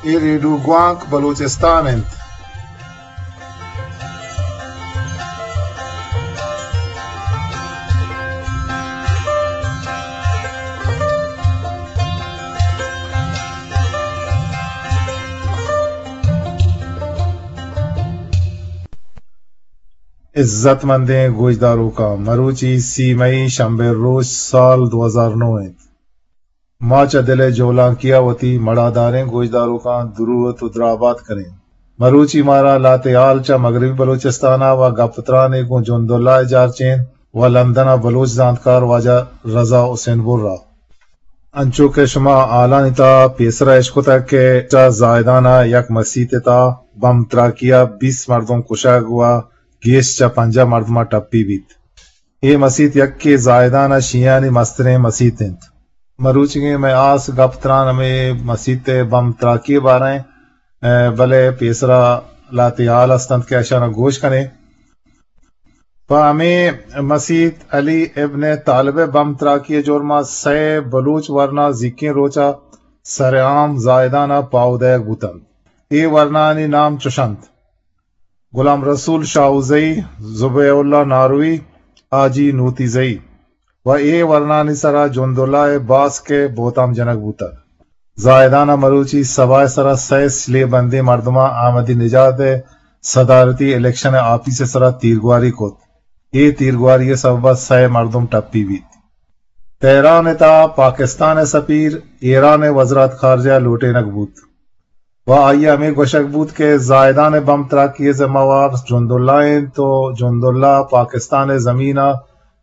اے ریڈیو گوانک بلوچستان انت۔ عزت مندیں گوشداروکاں، مروچی سی مئی شنبے روچ سال دو ہزار نو انت۔ ما چہ دل ءِ جولانکی ءَ وتی مڑاداریں گوشداروکاں دروت ءُ درابات کنیں۔ مروچی مارا لہتے ہال چہ مغربی بلوچستان ءَ و گپ ترانے گوں جنداللہ ءِ جارچین و لندن ءَ بلوچ زانتکار واجہ رضا حسین بر ءَ۔ انچو کہ شما ہالانی تہا پیسرا اشکتگ کہ چہ زاہدان ءَ یک مسیت ءِ تہا بم تراکی ءَ بیست مردم کشگ و گیش چہ پنجاہ مردماں ٹپی بیت۔ اے مسیت یکے زاہدان ءِ شیعانی مستریں مسیت انت۔ مروچیگیں مئے ہاس گپ تران ہمے مسیت ءِ بم تراکی ءِ بارہ ءَ، بلے پیسرا لہتے ہال ہست انت کہ اشاناں گوش کنیں۔ پہ ہمے مسیت علی ابن طالب ءِ بم تراکی ءِ جرم ءَ سئے بلوچ ورنا زیکیں روچ ءَ سر عام زاہدان ءَ پاہو دئیگ بوت انت۔ اے ورنانی نام چش انت: غلام رسول شاہوزئی، ذبیح اللہ ناروی، حاجی نوتیزئی و اے ورنانی سرا جنداللہ ءِ باسک ءِ بہتام جنگ بوتگ۔ زاہدان ءَ مروچی سباہ ءِ سرا سئے سلے بندیں مردماں احمدی نژاد ءِ صدارتی الیکشن ءِ آپیس ءِ سرا تیرگواری کت۔ اے تیرگواری ءِ سبب ءَ سئے مردم ٹپی بیت۔ تہران ءِ تہا پاکستان ءِ سفیر ایران ءِ وزرات خارجہ ءَ لوٹینگ بوت و آئی ءَ ہمے گوشگ بوت کہ زاہدان ءِ بم تراکی ءِ ذمہ وار جنداللہ انت و جنداللہ پاکستان ءِ زمین ءَ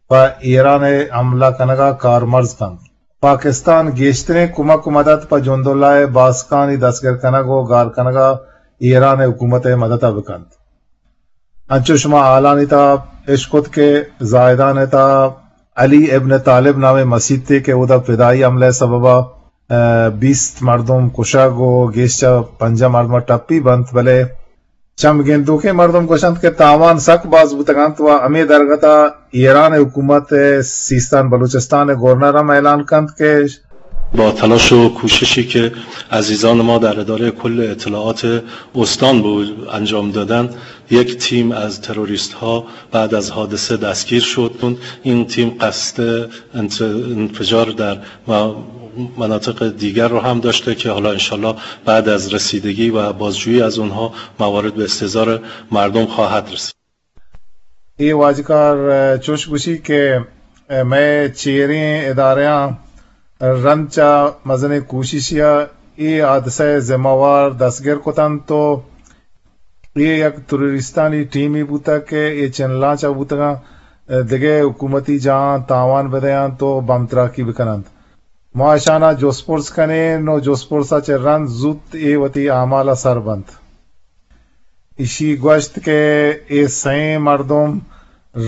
پہ ایران ءِ حملہ کنگ ءَ کارمرز کنت۔ پاکستان گیشتریں کمک و مدد پہ جنداللہ ءِ باسکانی دستگر کنگ و گار کنگ ءَ ایران ءِ حکومت ءِ مدد ءَ بکنت۔ انچو شما ہالانی تہا اشکت کہ زاہدان ءِ تہا علی ابن طالب نامیں مسیتے کہ اودا فدائی حملہ ءِ سبب ءَ، ءَ، بیست مردم کشگ و گیش چہ پنجاہ مردم ٹپی بنت، بلے چم گندوکیں مردم گوشنت کہ تاوان سک باز بوتگ انت و ہمے درگت ءَ ایران ءِ حکومت ءِ سیستان بلوچستان ءِ گورنر ہم اعلان کنت کہ با تلاش و کوششی که عزیزان ما در ادارهٔ کل اطلاعات استان به انجام دادن، یک تیم از تروریست‌ها بعد از حادثه دستگیر شد. این تیم قصد انت-، انفجار در م-، مناطق دیگر رو هم داشته که حالا انشالله بعد از رسیدگی و بازجویی از اونها موارد به استحضار مردم خواهد رسید. اے واجکار، ءَ، چوش گوشی کہ، ءَ، مئے چیریں ادارہاں رند چہ مزنیں کوششے ءَ اے حادثہ ءِ ذمہ وار دستگر کت انت و اے یک تروریستانی ٹیمے بوتگ کہ اے چنلاں چہ بوتگاں، ءَ، دگہ حکومتی جاہاں تاوان بدیانت و بم تراکی بکننت۔ ما اشاناں جست پرس کنیں و جست پرس ءَ چہ رند زوت اے وتی اعمال ءَ سر بنت۔ ایشی گوشت کہ اے سئیں مردم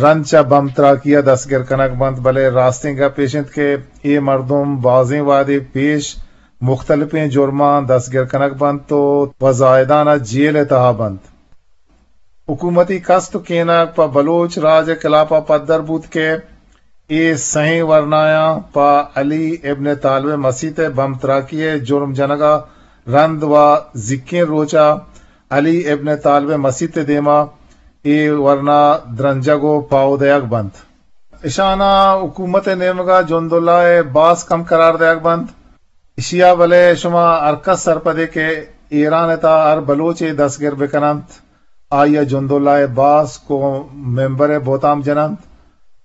رند چہ بم تراکی ءَ دستگر کنگ بنت، بلے راستیں گپ ایش انت کہ اے مردم بازیں وہدے پیش مختلفیں جرماں دستگر کنگ بنت و پہ زاہدان ءَ جیل ءِ تہا بنت۔ حکومتی کست و کینگ پہ بلوچ راج ءِ خلاف ءَ پدر بوت کہ اے سئیں ورنایاں پہ علی ابن طالب ءِ مسیت ءِ بم تراکی ءِ جرم جنگ ءَ رند و زیکیں روچ ءَ علی ابن طالب ءِ مسیت ءِ دیما اے ورنا درنجگ و پاہو دئیگ بنت۔ اشاناں حکومت ءِ نیمگ ءَ جنداللہ ءِ باسک ہم قرار دئیگ بنت۔ اشی ءَ بلے شما ہرکس سرپدے کہ ایران ءِ تہا ہر بلوچے دستگر بکننت، آئی ءَ جنداللہ ءِ باسک و ممبر ءِ بہتام جننت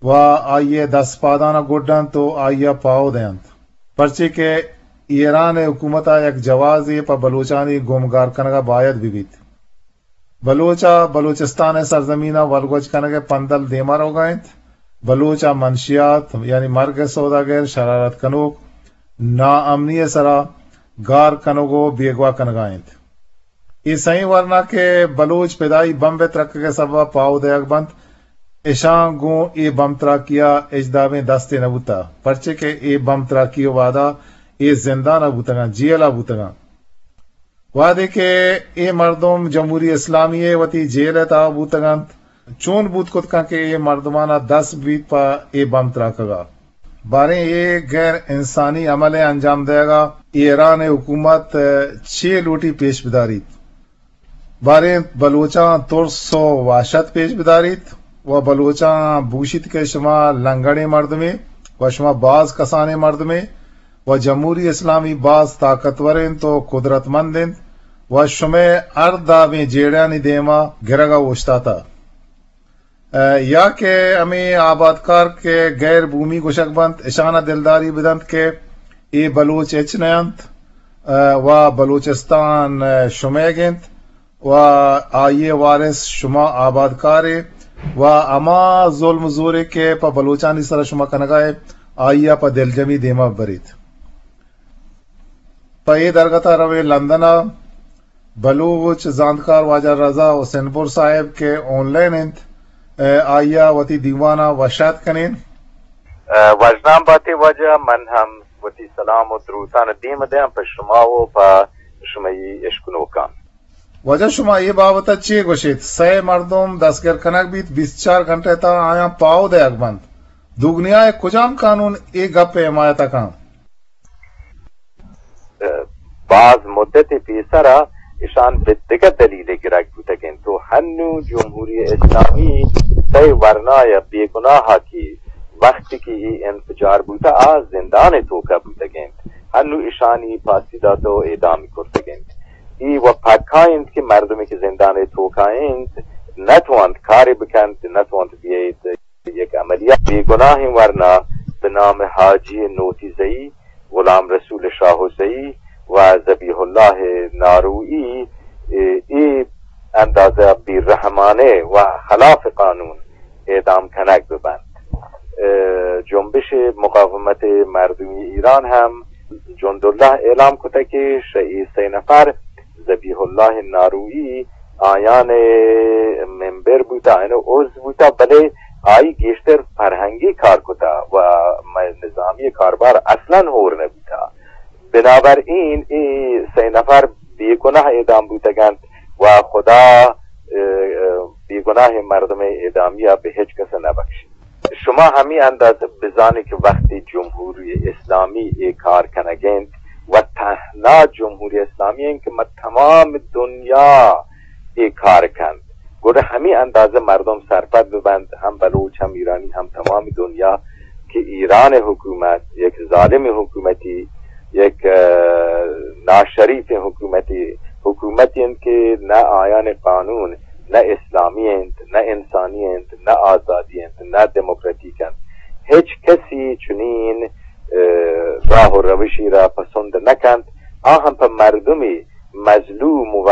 و آئی ءِ دست پاداں گڈ انت و آئی ءَ پاہو دئینت، پرچے کہ ایران ءِ حکومت ءَ یک جوازے پہ بلوچانی گم گار کنگ ءَ باید بہ بیت۔ بلوچ ءَ بلوچستان ءِ سرزمین ءَ ولگوج کنگ ءِ پندل دیما روگ ءَ انت۔ بلوچ ءَ منشیات، یعنی مرگ ءِ سوداگر، شرارت کنوک، ناامنی ءِ سرا گار کنگ و بیگواہ کنگ ءَ انت۔ اے سئیں ورنا کہ بلوچ پدائی بمب ءِ ترکگ ءِ سبب ءَ پاہو دئیگ بنت، اشاں گوں اے بم تراکی ءَ ہچ دابیں دستے نہ بوتہ، پرچے کہ اے بم تراکی ءِ وہدا اے زندان ءَ بوتگاں، جیل ءَ بوتگاں۔ وہدے کہ اے مردم جمہوری اسلامی ءِ وتی جیل ءِ تہا بوتگ انت، چون بوت کت کنت کہ اے مردماناں دست بیت پہ اے بم تراکگ ءَ؟ باریں اے غیر انسانی عمل ءِ انجام دئیگ ءَ ایران ءِ حکومت چے لوٹی پیش بداریت؟ باریں بلوچاں ترس ءُ وحشت پیش بداریت ءُ بلوچاں بگوشیت کہ شما لنگڑیں مردمے ءُ شما باز کسانیں مردمے ءُ جمہوری اسلامی باز طاقتور اِنت ءُ قدرتمند اِنت ءُ شمئے ہر دابیں جیڑہانی دیم ءَ گرگ ءَ اوشتاتہ۔ ءُ یا کہ ہمے آبادکار کہ غیر بومی گوشگ بنت، اشان ءَ دلداری بدنت کہ اے بلوچ ہچ نہ اَنت، ءُ بلوچستان شمئیگ اِنت ءُ آئی ءِ وارث شما آبادکارے ءُ ہما ظلم ءُ زورے کہ پہ بلوچانی سر ءَ شما کنگ ءَ ئے، آئی ءَ پہ دلجمی دیم ءَ ببریت۔ پہ اے درگت ءَ رویں لندن ءَ بلوچ زانتکار واجہ رضا حسین پور صاحب کہ آن لائن اِنت، ءُ آئی ءَ وتی دیوان ءَ وش آتک کنیں۔ ءُ وژنام بات ئے واجہ، من ہم وتی سلام ءُ دروتان ءَ دیم ءَ دیاں پہ شما ءُ پہ شمئی اشکنوکاں۔ واجہ، شما اے بابت ءَ چے گوش ایت؟ سئے مردم دستگر کنگ بیت، بیست چار گھنٹہ ءِ تہا آیاں پاہو دئیگ بنت۔ دگنیا ءِ کجام قانون اے گپ ءِ حمایت ءَ کنت؟ ءُ باز مدتے پیسر ءَ اشان بہ دگہ دلیلے گرگ بوتگ اَنت ءُ ہنوں جمہوری اسلامی تئی ورنایہ بے گناہ ءَ کہ وقتی کہ اے انفجار بوتہ آ زندان ءِ توکا بوتگ اَنت، ہنوں اشانی پھاسی داتہ ءُ اعدام کرتگ اَنت۔ اے و پکا اِنت کہ مردمے کہ زندان ءِ توکا اِنت نہ توانت کارے بکنت، نہ توانت بیایت یک عملیات۔ بے گناہیں ورنا بہ نام حاجی نوتیزئی، غلام رسول شاہ حسئی و ذبیح اللہ ناروئی، اے، اے اندازہ بے رحمانہ و خلاف قانون اعدام کنگ بہ بنت۔ ءُ جنبش مقاومت مردمی ایران ہم جنداللہ اعلام کتگ کہ شہ اے سئے نفر ذبیح اللہ ناروئی آیان ممبر بوتہ، آیان عضو بوتہ، بلے آئی گیشتر فرہنگی کار کتہ و مئے نظامی کاربار اصلاً ہور نہ بوتہ۔ بنابراین اے سئے نفر بے گناہ اعدام بوتگ اَنت و خدا، ءُ، ءُ، بے گناہ مردم اعدامی ءَ بہ ہچ کس نہ بخشیت۔ شما ہمے انداز بزانیں کہ وقتی جمہوری اسلامی اے کار کنگ اِنت و تہنا جمہوری اسلامی اِنت کہ مہ تمام دنیا اے کار کنت، گڑا ہمے اندازہ مردم سرپد بہ بنت، ہم بلوچ، ہم ایرانی، ہم تمام دنیا کہ ایران حکومت یک ظالم حکومتی، یک، ءُ، ناشریف حکومتی، حکومتی اِنت کہ نہ آیان قانون نہ اسلامی اِنت، نہ انسانی اِنت، نہ آزادی اِنت، نہ دموکراتیک اِنت۔ ہچ کسی چنین، ءُ، راہ و روشی را پسند نہ کنت۔ آ ہم پہ مردمی مظلوم و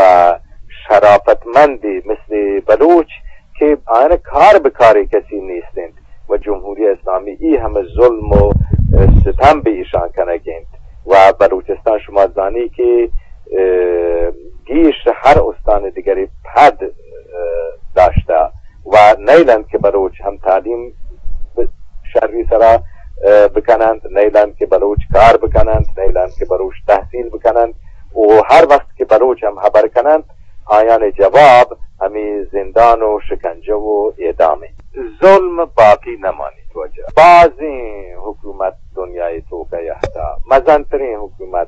شرافتمندی مثل بلوچ کہ آیان کار بہ کارے کسی نیست اِنت و جمہوری اسلامی ای ہمے ظلم و، ءُ، ستم بہ ایشان کنگ اِنت و بلوچستان شما زانی کہ، ءُ، گیش ہر استان دگری پد، ءُ، داشتہ و نیل اَنت کہ بلوچ ہم تعلیم ب-، شری سرا، ءُ، بکن اَنت، نیل اَنت کہ بلوچ کار بکن اَنت، نیل اَنت کہ بلوچ تحصیل بکن اَنت و ہر وقت کہ بلوچ ہم ہبر کن اَنت، آیان جواب ہمے زندان و شکنجہ و اعدام اِنت۔ ظلم باقی نمانیت واجہ۔ بازیں حکومت دنیائے توکا یہتا، مزنتریں حکومت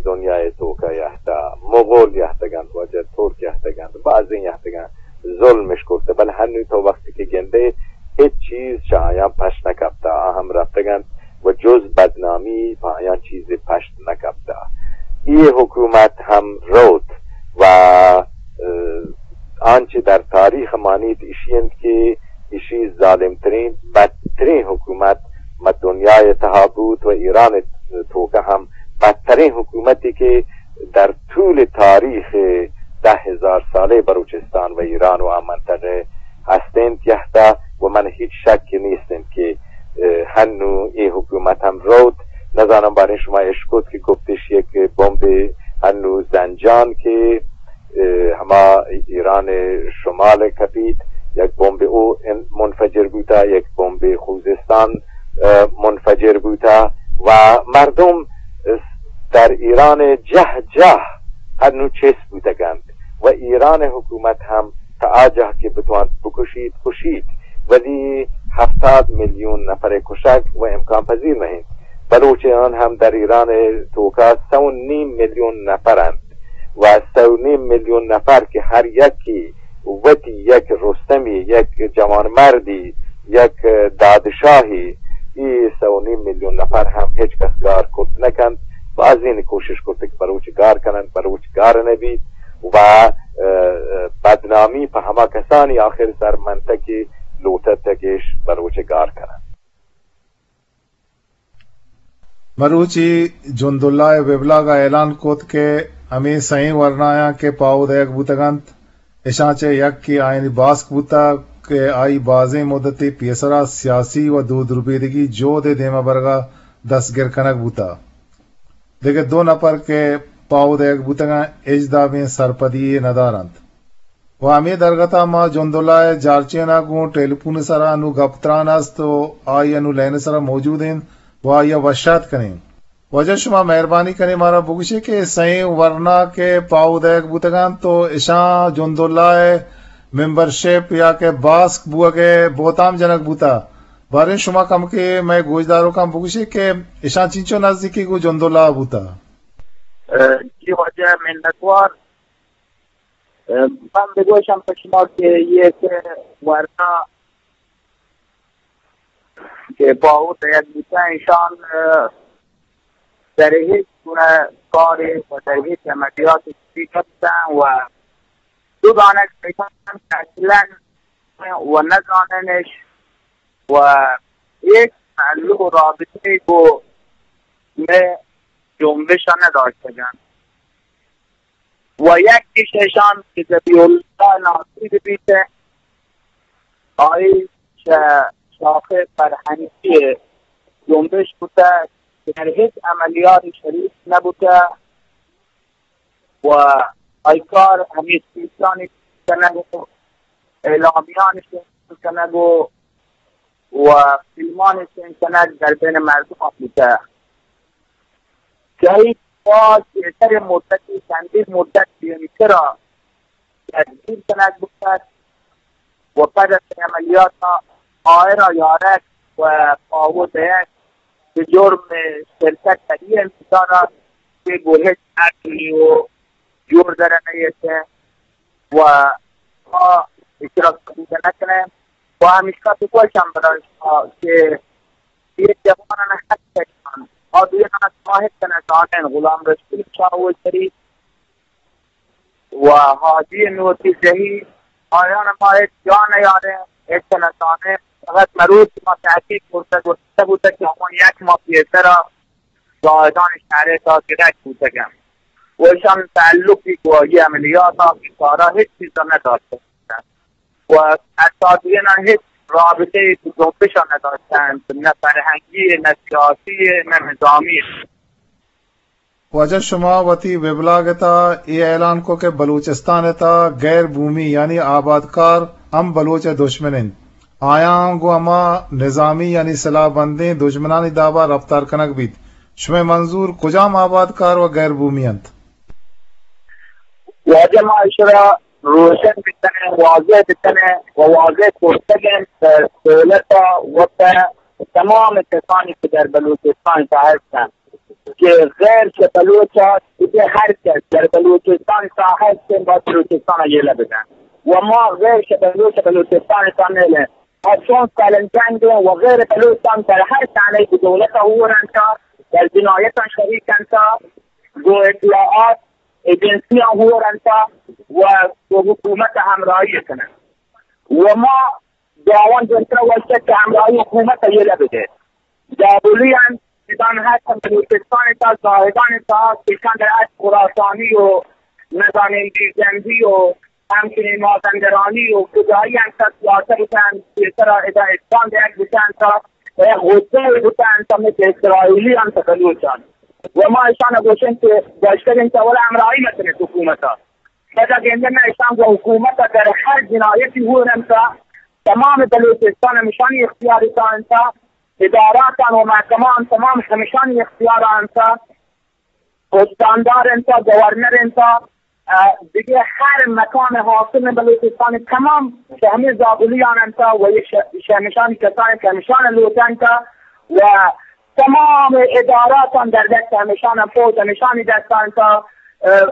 دنیائے توکا یہتا، مغول یہتگ اَنت واجہ، ترک یہتگ اَنت، بازیں یہتگ اَنت، ظلم اش کرتہ، بلے ہنو تو وقتی کہ گندے ہچ چیز چہ آیاں پشت نہ کپتہ، آ ہم رپتگ اَنت و جز بدنامی پہ آیاں چیزے پشت نہ کپتہ۔ اے حکومت ہم روت و، ءُ، آنچہ در تاریخ مانیت ایشی اِنت کہ ایشی ظالمترین، بدترین حکومت مہ دنیائے تہا بوت و ایران توکا ہم بدترین حکومتی کہ در طول تاریخ دہ ہزار سالہ بلوچستان و ایران و آ منطقہ ہست اِنت یہتا و من ہچ شک نیست اِنت کہ، ءُ، ہنو اے حکومت ہم روت۔ نزانم باریں شما اشکت کہ گپتش یک بمبے ہنو زنجان کہ، ءُ، ہما ایران شمال کپیت، یک بمبے او ان-، منفجر بوتا، یک بمبے خوزستان، ءُ، منفجر بوتا و مردم در ایران جہ جہ ہنو چست بوتگ اَنت و ایران حکومت ہم تا آ جہ کہ بتوانت بکشیت، کشیت، ولی ہفتاد میلیون نفر کشگ و امکان پذیر نہ انت۔ بلوچ آن ہم در ایران توکا سہ و نیم میلیون نفر انت و سہ و نیم میلیون نفر کہ ہر یکی وتی یک رستمی، یک جوانمردی، یک دادشاہی، ای سہ و نیم میلیون نفر ہم ہچ کس گار کرت نہ کنت۔ بازین کوشش کرت کہ بلوچ گار کننت، بلوچ گار نہ بیت و، اه، اه، بدنامی پہ ہما کسانی آخر سر منتگ کہ لوٹتگش بلوچ گار کننت۔ مروچی جنداللہ ءِ ویبلاگ ءَ اعلان کت کہ ہمے سئیں ورنایاں کہ پاہو دئیگ بوتگ انت، اشاں چہ یکے آیانی باسک بوتگ کہ آئی بازیں مدتے پیسرا سیاسی و دود ربیدگی جہد ءِ دیما برگا دستگر کنگ بوتگ۔ دگہ دو نپر کہ پاہو دئیگ بوتگاں، ہچ دابیں سرپدی یے ندارنت۔ و ہمے درگتا ما جنداللہ ءِ جارچین ءَ گوں ٹیلیفون ءِ سرا انو گپ تران است و آئی انو لائن ءِ سرا موجود انت و آئی ءَ وش آتک کنیں۔ واجہ شما مہربانی کنیں مارا بگوشے کہ سئیں ورنا کہ پاہو دئیگ بوتگاں تو اشاں جنداللہ ءِ ممبرشپ یا کہ باسک بوگ ءِ بہتام جنگ بوتا۔ باریں شما کمکے مئے گوشداروکاں بگوشے کہ اشاں چینچو نزدیکی گوں جنداللہ بوتا۔ اه، جی واجہ منتوار۔ اه، من بگوشم پہ شما کہ یک ورنا کہ پاہو دئیگ بوتاں، ایشان، اه، در ہچ گونہ کارے و در ہچ عملیات شریک نبوتاں و دو دانگ ایشان اصلاً و نزاننش و یک تعلق و رابطے گو مئے جنبش نداشتگن۔ و یکیش ایشان کہ ذبیح اللہ ناصری بیت، آئی چہ شاخ فرهنگی جنبش بوتہ، در هیچ عملیاتی شریک نبوتہ و آئی کار همیش دوستانی کنگ و اعلامیانی کنگ و و فیلمانی سین کنگ در بین مردم بوتہ۔ جدید باز بہتر مدتی، چندین مدت دیمترا تدبیر کنگ بوتگ و پد از عملیات آئرا یارگ و پاہو دئیگ بہ جرم شرکت در ای انتظار است کہ گو ہچ عقلی و جور در نیت۔ و ما ایشرا قبول نکنیں و همیشکا تو گوشم برای شما که یک جوانان هست کسان آدویان از ما هیچ نزانن، غلام رسول چاوشری و حاجی نوتی جهی، آیان ما هیچ جا نیاریں، هیچ نزانیں. فقط مروچ ما تحقیق کرتگ و گوشتگ بوتگ که همان یک ماه پیسرا زاهدان شهر تا گرگ بوتگن و اشان تعلقی گو آئی عملیات ها که کارا هیچ چیزا نداشته بودن و اساتیدان هیچ رابطه ای به جنبش ها نداشتند، نه فرهنگی، نه سیاسی، نه نظامی. واجہ شما وتی ویبلاگ ءِ تہا اے اعلان کو کہ بلوچستان ءِ تہا غیر بومی یعنی آبادکار ہم بلوچ ءِ دشمن انت۔ آیاں گوں ہما نظامی یعنی سلاہ بندیں دژمنانی دابا رپتار کنگ بیت۔ شمئے منظور کجام آبادکار و غیر بومی انت؟ واجہ ما اشرا روشن بکنیں، واضح بکنیں و واضح کرتگیں پہ دولت ءَ و پہ تمام کسانی کہ در بلوچستان تہا ہستن۔ کہ غیر چہ بلوچ ءَ دگہ ہر کس در بلوچستان تہا ہست انت، باید بلوچستان ءَ یلہ بدنت و ما غیر چہ بلوچ ءَ بلوچستان تہا نیلیں. ما چون سالنجنگ ایں و غیر بلوچ ہم در ہر تہنا کہ دولت ءَ ہور انت، در جنایتاں شریک انت، گوں اطلاعات ایجنسیاں ہور انت و گوں حکومت ءَ ہمراہی کننت و ما دعوان جنتر وشت کہ ہمراہی حکومت ءَ یلہ بدئے. دابلی انت، ادان ہست بلوچستان تا زاہدان تا کشان در اچ خراسانی و نزانین بیرجندی و ہمچنین مازندرانی و کجایی انت، سیاست بکن، پیسرا ادا اتقان دیگ بکن تا، غصه بکن تا مثل اسرائیلی انت بلوچان. و ما اشان گوشن کہ گشتگین تا ولا ہمراہی مکنت حکومتا. پدا گندن اشان گوں حکومت ءَ در ہر جنایتی ہور انت، تمام بلوچستان ہمشانی اختیار ءَ انت، اداراتان و محکمہان تمام ہمشانی اختیار ءَ انت، استاندار انت، گورنر انت، اه، دیگه هر مکان حاصل بلوچستان تمام شهمی زابلیان انت و یه شه-، شهمشانی کسانی که همیشان لوٹنت و تمام اداراتان در دست همیشان، فوج همیشانی دستان تا، اه، اه،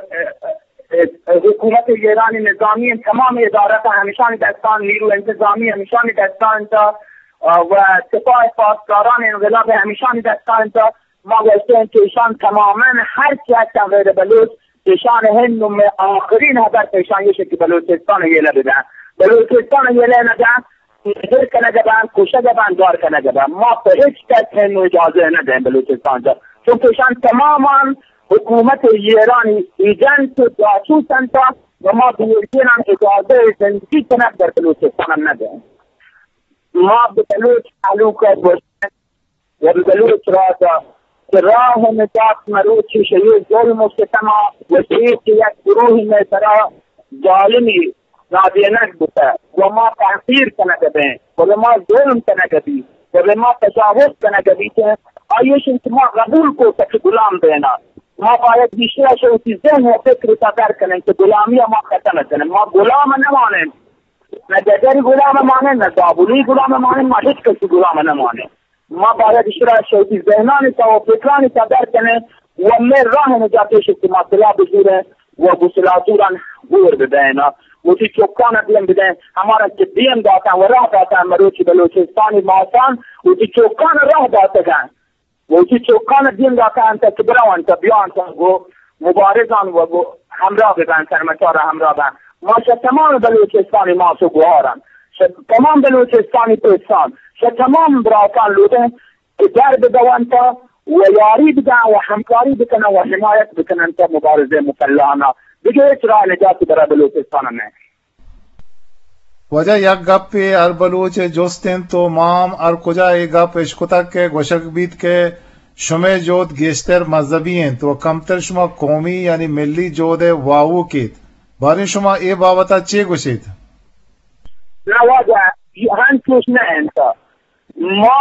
اه، حکومت ایرانی نظامی تمام ادارات همیشانی دستان، نیرو انتظامی همیشانی دستان تا، اه، و سپاه پاسداران انقلاب همیشانی دستان تا. ما گوشتن که ایشان تماما هر چی هستن غیر بلوچ، ایشان هنو مه آخرین هدف ایشان یه که بلوچستان یله بدن. بلوچستان یله ندن، نظر کنگ بند، کشگ بند، گار کنگ بند. ما په هیچ کس هنو اجازه ندن بلوچستان جا. چون که ایشان تماما حکومت ایرانی ایجنت و جاسوس انت و ما بیرگینان اجازه زندگی کنگ در بلوچستان هم ندن. ما به بلوچ تعلق گوشتن و بلوچ راجا که راه نجات مروچی شیء ظلم و ستما و شیء که یک گروهی مئے سرا ظالمی رادینگ بوتہ و ما تحقیر کنگ بیں و به ما ظلم کنگ بی و به ما تجاوز کنگ بی که آیش انت ما قبول کو تک غلام بینا. ما باید بیشتر شوتی ذهن و فکر تا در کنن که غلامی ما ختم کنن. ما غلام نمانن. نه دگری غلام مانن، نه زابلی غلام مانن، ما هیچ کسی غلام نمانن. ما باید ایشرا شوتی ذهنانی تا و فکرانی تا در کنن و مئے راه نجاتش که ما سلاح بزورن و گسلاتوران گور بدین. وتی چکان دیم بدین. همارا که دیم داتن و راه داتن مروچی بلوچستانی ماسان وتی چکان راه داتگن. وتی چکان دیم داتن تا که برونت بیانت گو مبارزان و گو همراه ببن، سرمچار همراه ببن. ما چه تمام بلوچستانی ماس و گوهاران، چه تمام بلوچستانی پسان، چه تمام براتان لوٹن که در بدونت و یاری بدن و همکاری بکنن و حمایت بکنن تا مبارزه مسلحانه. دیگه هیچ راه نجاتی برای بلوچستان نه. واجہ، یک گپے ہر بلوچ ء جست انت و ما ہم ہر کجا اے گپ اشکتگ کہ گوشگ بیت کہ شمئے جہد گیشتر مذہبی انت و کمتر شما قومی یعنی ملی جہد ء واہوک ایت۔ باریں شما اے بابت ء چے گوشیت؟ نہ واجہ، اے ہنچوش نہ انت۔ ما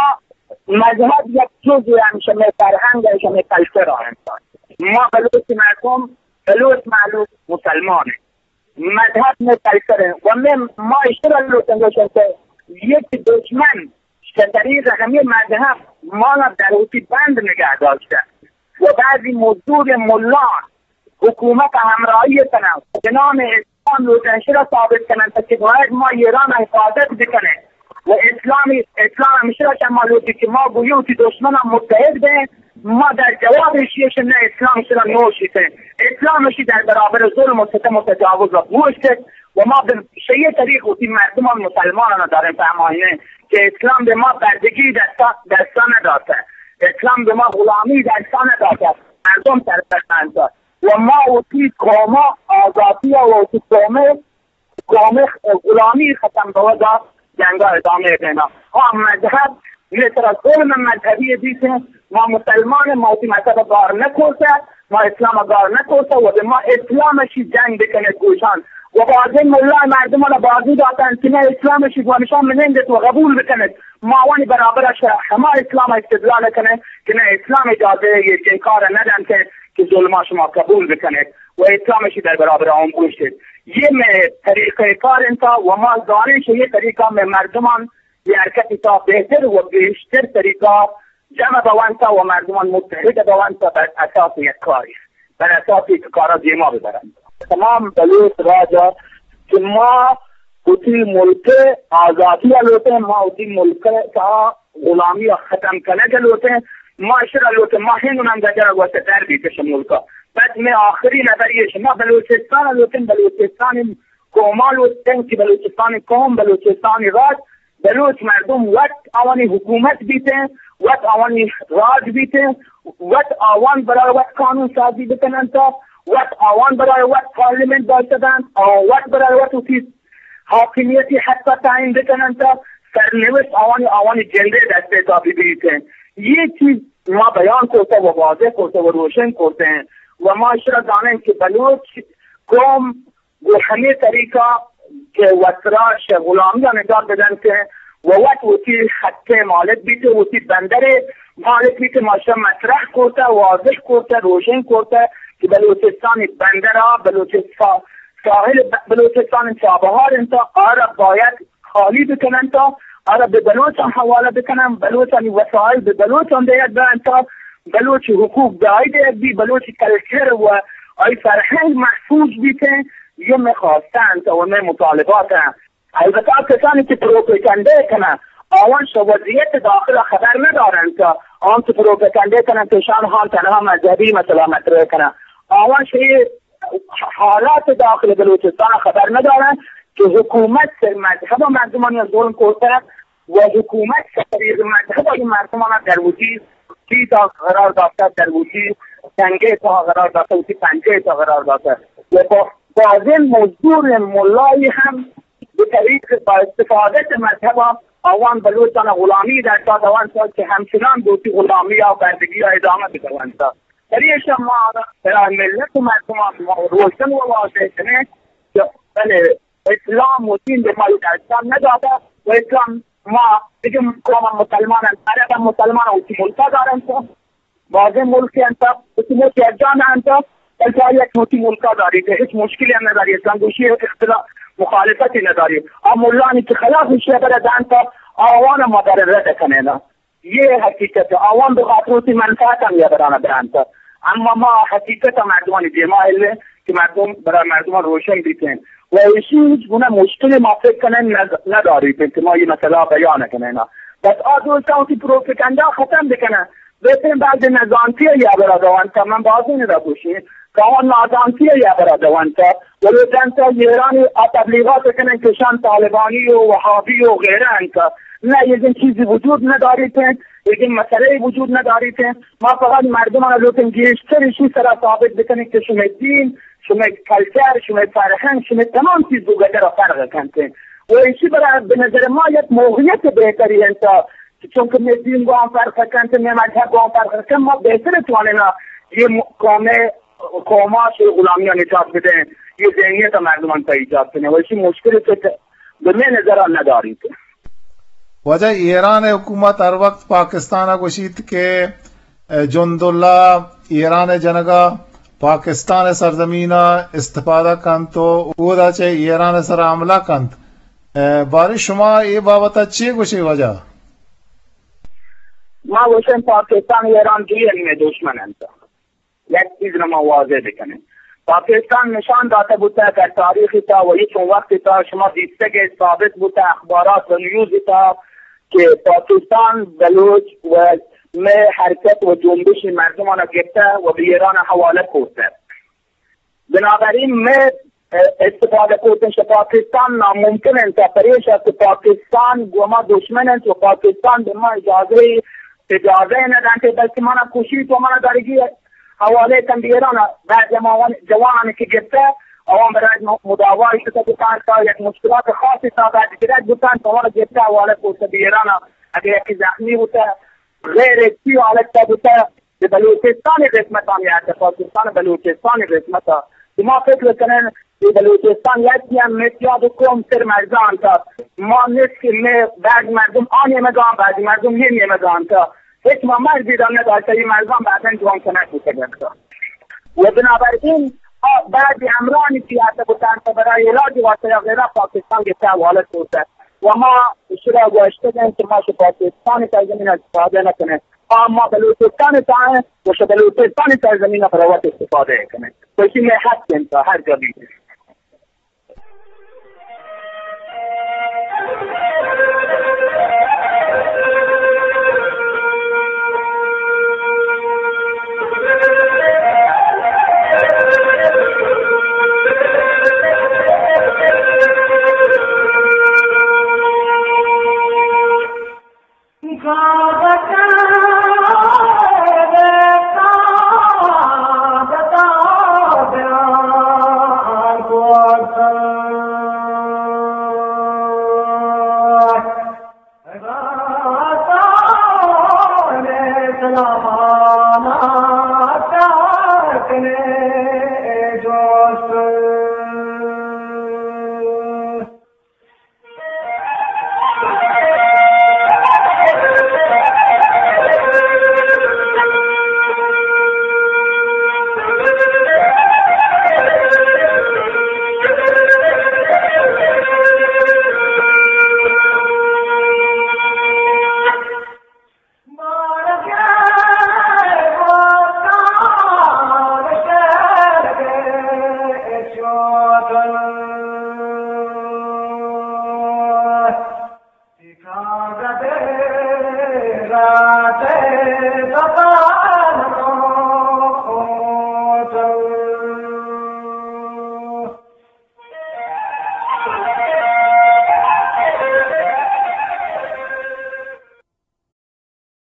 مذہب یک جزء ہم شمئے فرہنگ ء شمئے کلچر ء انت۔ ما بلوچ مردم، بلوچ مہلوک مسلمان انت۔ مذہب مئے کلچر انت و مئے، ما اشترا لوٹن گوشن کہ یک دشمن شہ طریق ہمیں مذہب مانا در وتی بند نگہ داشتہ و بعضی مزدور ملان حکومت ہمراہی کنن، بہ نام اسلام لوٹن اشرا ثابت کنن کہ باید ما ایران حفاظت بکنن و اسلامی، اسلام ہمشرا شما لوٹی کہ ما گویو کہ دشمن متحد بیں، ما در جواب ایشی اش نہ اسلام شرا نوشیتیں۔ اسلام اشی در برابر ظلم و ستم و تجاوز و گوشت و ما بہ شیء طریق وتی مردمان مسلمانان داریں فہمائینیں کہ اسلام بہ ما بندگی دستا، دستا نداتہ۔ اسلام بہ ما غلامی دستا نداتہ۔ مردم سرپرست انت و ما وتی قوما آزادی و وتی قوم قوم غلامی ختم بوگا جنگا ادامہ دینا۔ ہاں، مذہب، مئے سرا ظلم مذہبی بیتیں، ما مسلمان، ما وتی مذہب گار نکوسہ، ما اسلام گار نکوسہ، و ما اسلام اشی جنگ بکنت گوشان۔ و بازیں ملا مردمان بازی داتن کہ نہ اسلام اشی گوانشان منندت و قبول بکنت۔ ما آوانی برابر ش-، ہما اسلام استدلال کنیں کہ نہ اسلام اجازہ یہ چنین کار ندنت کہ ظلما شما قبول بکنت۔ و اسلام اشی در برابر آن گوشت۔ یہ مئے طریقہ کار انت و ما زانیں کہ یہ طریقہ مئے مردمان یہ حرکت تا بہتر و گیشتر طریقہ جمع بونت و مردمان متحد بونت بر اساس یک کاری، بر اساس یک کارا دیما ببرنت۔ تمام بلوچ راجا کہ ما وتی ملک آزادی لوٹیں، ما وتی ملک تا غلامی ء ختم کنگ ء لوٹیں، ما اشرا لوٹیں، ما ہند نام دجا گوشت در بیت شمولکا۔ بس میں آخری نظر یہ شما بلوچستان لوٹیں، بلوچستان قوما لوٹیں کہ بلوچستان قوم، بلوچستان راج، بلوچ مردم وت آوانی حکومت بیتیں، وت آوانی راج بیتیں، وت آوان برای وت قانون سازی بکننتا، وت آوان برای وت پارلیمنت داشتہ بنت، آوان وت برای وت وتی حاکمیتی حق تعیین بکننت، سرنوشت آوانی، آوانی جندے دستے تا ببیت۔ یہ چیز ما بیان کرتا و واضح کرتا و روشن کرتے ہیں و ما اشرا زانیں کہ بلوچ قوم گو ہمے طریقہ کہ وترا شہ غلامی ء نجات بدنت و وت وتی حق ء مالک بیت و وتی بندر ء مالک بیت، ما شہ مطرح کرتا، واضح کرتا، روشن کرتا کہ بلوچستان بندر ءَ، بلوچستان ساحل ب-، بلوچستان چابہار انت، آرا باید خالی بکننت، آرا بہ بلوچاں حوالہ بکنن، بلوچانی وسائل بہ بلوچاں دیگ بنت، بلوچ حقوق دائی دیگ بی، بلوچ کلچر و آئی فرہنگ محفوظ بیتیں، یہ مئے خواستہ انت و مئے مطالبات انت۔ البتہ کسانی کہ پروپیگنڈہ کنن، آوان شہ وضعیت داخل خبر ندارنت، آوان کہ پروپیگنڈہ کنن کہ شان ہان تنہا مذہبی مسئلہ مطرح کنن، آوان شہ حالات داخل بلوچستان خبر ندارن کہ حکومت سر مذہب مردمانی ظلم کرتہ و حکومت سر مذہب مردمان در وتی چیز قرار داشته، در وتی تنگه تا قرار داشته، وتی پنجه تا قرار داشته. و با-، بعضی مزدور ملایی هم به طریق با استفادت مذهب آوان بلوچان غلامی در داد، آوان تا که همچنان دوتی غلامی یا بردگی یا ادامه بدوند. برای شما برای ملت و مردمان ما روشن و واضح کنه که بله، اسلام و دین به ما یک ارسال نداده و اسلام ما دیگه قوم مسلمان هم، عرب هم مسلمان هم، وتی ملکا دارن تو. بعضی ملک هم تا، وتی ملک یک جان هم تا، بلکه یک وتی ملکا داری که هیچ مشکلی هم نداری، اسلام گوشی اختلاف مخالفتی نداری. آ ملانی که خلاف شیعه برا دان تا، آوان ما در رد کنه نه. یہ حقیقت ہے۔ آوان بہ خاطر وتی منفعت ہم یہ برانا برانتا۔ اما ما حقیقت مردمانی دیما ہلیں کہ مردم برای مردمان روشن بیتیں۔ و ایشی ہیچ گناہ مشکل ما فکر کنیں نہ، نہ داریتیں کہ ما یہ مسئلہ بیان کنیں۔ بس آ دوستان وتی پروپیگنڈا ختم بکنن۔ بہترین بعض نزانتی یا برا دوانتا، من بازی ندا گوشیں۔ کاوان نادانتی ء ہبرا دونت ء ولوٹنت ء ایرانی آ تبلیغات کنن کہ شان طالبانی و وہابی و غیرہ انت۔ نہ، یہ دن چیزی وجود نداریت انت، یہ دن مسئلہ وجود نداریت انت۔ ما فقط مردمان لوٹن گیشتر اشی سرا ثابت بکنن کہ شمئے دین، شمئے کلچر، شمئے فرہنگ، شمئے تمام چیز دو گدر فرق کنت انت۔ و اشی برا بہ نظر ما یک موقعیت بہتری انت۔ چونکہ مئے دین گوں فرق کنت، مئے مذہب گوں فرق کنت، ما بہتر توانینا یہ م-، قوم، قوما چہ غلامی نجات بدیں، یہ ذہنیت مردمان تا ایجاد کنیں۔ و اسی مشکل سے کہ بہ مئے نظر نداریت۔ واجہ، ایران حکومت ہر وقت پاکستان گوشیت کہ جند اللہ ایران جنگا پاکستان سرزمین استفادہ کنت و اودا چہ ایران سر حملہ کنت۔ اے، باریں شما اے بابت ء چے گوشے واجہ؟ ما گوشیں پاکستان ء ایران دوئیں نیمیں دشمن انت۔ یک چیز نہ ما واضح بکنیں۔ پاکستان نشان داتا بوتا در تاریخ تا و یہ چون وقت تا شما دیستگ ثابت بوتا اخبارات و نیوز تا کہ پاکستان بلوچ و مئے حرکت و جنبش مردمان گپتا و بہ ایران حوالہ کرتا۔ بنابراین مئے، اه، استفادہ کرتن چہ پاکستان ناممکن انت، پریشا کہ پاکستان گو ما دشمن انت و پاکستان بہ ما اجازہ، اجازہ ندنت، بلکہ منا کشیت و منا درگی حوالہ کن بہ ایران۔ بعد ہما جوانانی کہ گپتہ، آوان برای مداوا شتہ بہ پارکا، یک مشکلات خاصی تا بعد گرگ بوتن، آوان گپتہ حوالہ کرتہ بہ ایران۔ اگر یکی زخمی بوتہ، غیر حسی حالت تا بوتہ، کہ بلوچستان قسمت ہم یا کہ پاکستان بلوچستان قسمت، کہ ما فکر کنیں کہ بلوچستان یکی ہم متیاد قوم سر مرزان تا، ما نصف میں بعض مردم آ نیمگان، بعض مردم یہ نیمگان تا، ہچ ما مرزی دا نداشتا، یہ مرزان بعضاً جوان کنک بوتگن تا۔ و بنابراین آ بعض امرانی کہ آتا بوتن تا برای علاج واسطہ یا غیرہ پاکستان گپتہ حوالہ کرتہ۔ و ما اشرا گوشتگیں کہ ما چہ پاکستان سرزمین استفادہ نکنیں، آ ما بلوچستان تائیں و چہ بلوچستان سرزمین برای وت استفادہ کنیں۔ تو اسی میں حق انت ہر جا بھی۔